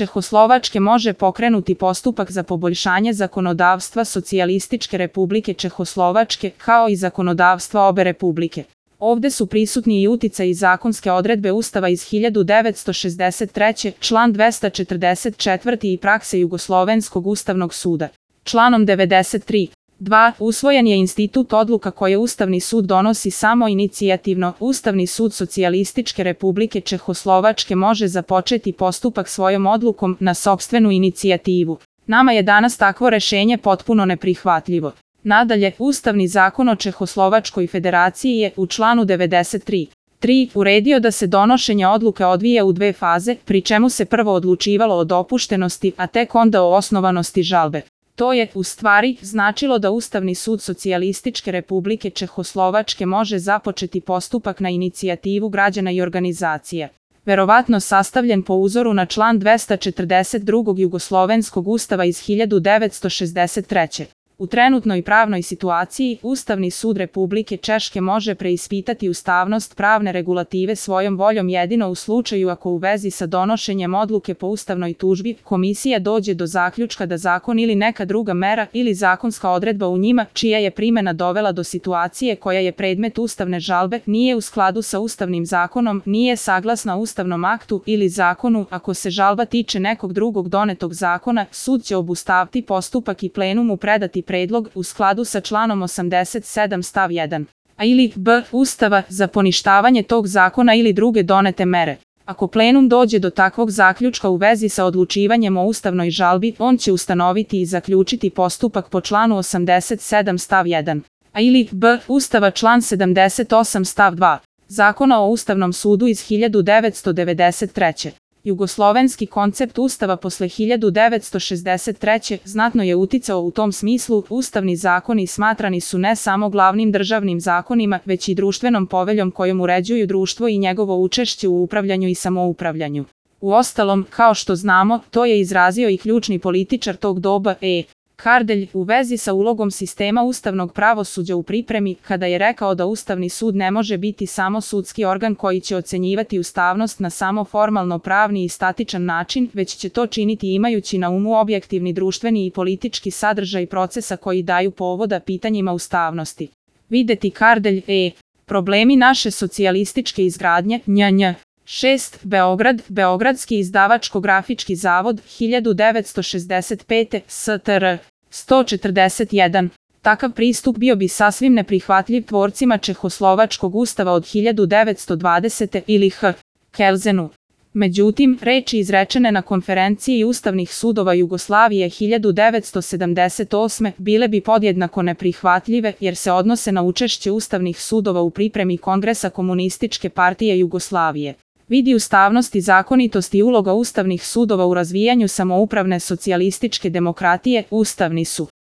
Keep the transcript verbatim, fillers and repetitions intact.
Čehoslovačke može pokrenuti postupak za poboljšanje zakonodavstva Socijalističke Republike Čehoslovačke, kao i zakonodavstva obe republike. Ovde su prisutni i uticaji zakonske odredbe Ustava iz hiljadu devetsto šezdeset treće. član dvesta četrdeset četvrti i prakse Jugoslovenskog ustavnog suda. Članom devedeset tri. dva. Usvojen je institut odluka koje Ustavni sud donosi samo inicijativno. Ustavni sud Socijalističke Republike Čehoslovačke može započeti postupak svojom odlukom na sopstvenu inicijativu. Nama je danas takvo rešenje potpuno neprihvatljivo. Nadalje, Ustavni zakon o Čehoslovačkoj federaciji je u članu devedeset tri. tri. uredio da se donošenje odluke odvija u dve faze, pri čemu se prvo odlučivalo o dopuštenosti, a tek onda o osnovanosti žalbe. To je, u stvari, značilo da Ustavni sud Socijalističke Republike Čehoslovačke može započeti postupak na inicijativu građana i organizacija. Verovatno sastavljen po uzoru na član dvesta četrdeset drugog Jugoslovenskog ustava iz hiljadu devetsto šezdeset treće. U trenutnoj pravnoj situaciji, Ustavni sud Republike Češke može preispitati ustavnost pravne regulative svojom voljom jedino u slučaju ako u vezi sa donošenjem odluke po ustavnoj tužbi komisija dođe do zaključka da zakon ili neka druga mera ili zakonska odredba u njima, čija je primena dovela do situacije koja je predmet ustavne žalbe, nije u skladu sa ustavnim zakonom, nije saglasna ustavnom aktu ili zakonu. Ako se žalba tiče nekog drugog donetog zakona, sud će obustaviti postupak i plenumu predati predlog u skladu sa članom osamdeset sedam stav jedan. A ili b. Ustava za poništavanje tog zakona ili druge donete mere. Ako plenum dođe do takvog zaključka u vezi sa odlučivanjem o ustavnoj žalbi, on će ustanoviti i zaključiti postupak po članu osamdeset sedam stav jedan. A ili b. Ustava član sedamdeset osam stav dva. Zakona o Ustavnom sudu iz hiljadu devetsto devedeset treće. Jugoslovenski koncept Ustava posle hiljadu devetsto šezdeset treće. znatno je uticao u tom smislu. Ustavni zakoni smatrani su ne samo glavnim državnim zakonima, već i društvenom poveljom kojom uređuju društvo i njegovo učešće u upravljanju i samoupravljanju. Uostalom, kao što znamo, to je izrazio i ključni političar tog doba E. Kardelj u vezi sa ulogom sistema ustavnog pravosuđa u pripremi, kada je rekao da Ustavni sud ne može biti samo sudski organ koji će ocenjivati ustavnost na samo formalno pravni i statičan način, već će to činiti imajući na umu objektivni društveni i politički sadržaj procesa koji daju povoda pitanjima ustavnosti. Videti Kardelj E. Problemi naše socijalističke izgradnje, nj. šest. Beograd, Beogradski izdavačko-grafički zavod, hiljadu devetsto šezdeset pete. S T R sto četrdeset jedan. Takav pristup bio bi sasvim neprihvatljiv tvorcima Čehoslovačkog ustava od hiljadu devetsto dvadesete. ili H. Kelzenu. Međutim, reči izrečene na konferenciji Ustavnih sudova Jugoslavije hiljadu devetsto sedamdeset osme. bile bi podjednako neprihvatljive jer se odnose na učešće Ustavnih sudova u pripremi Kongresa Komunističke partije Jugoslavije. Vidi ustavnost i zakonitost i uloga ustavnih sudova u razvijanju samoupravne socijalističke demokratije. Ustavni su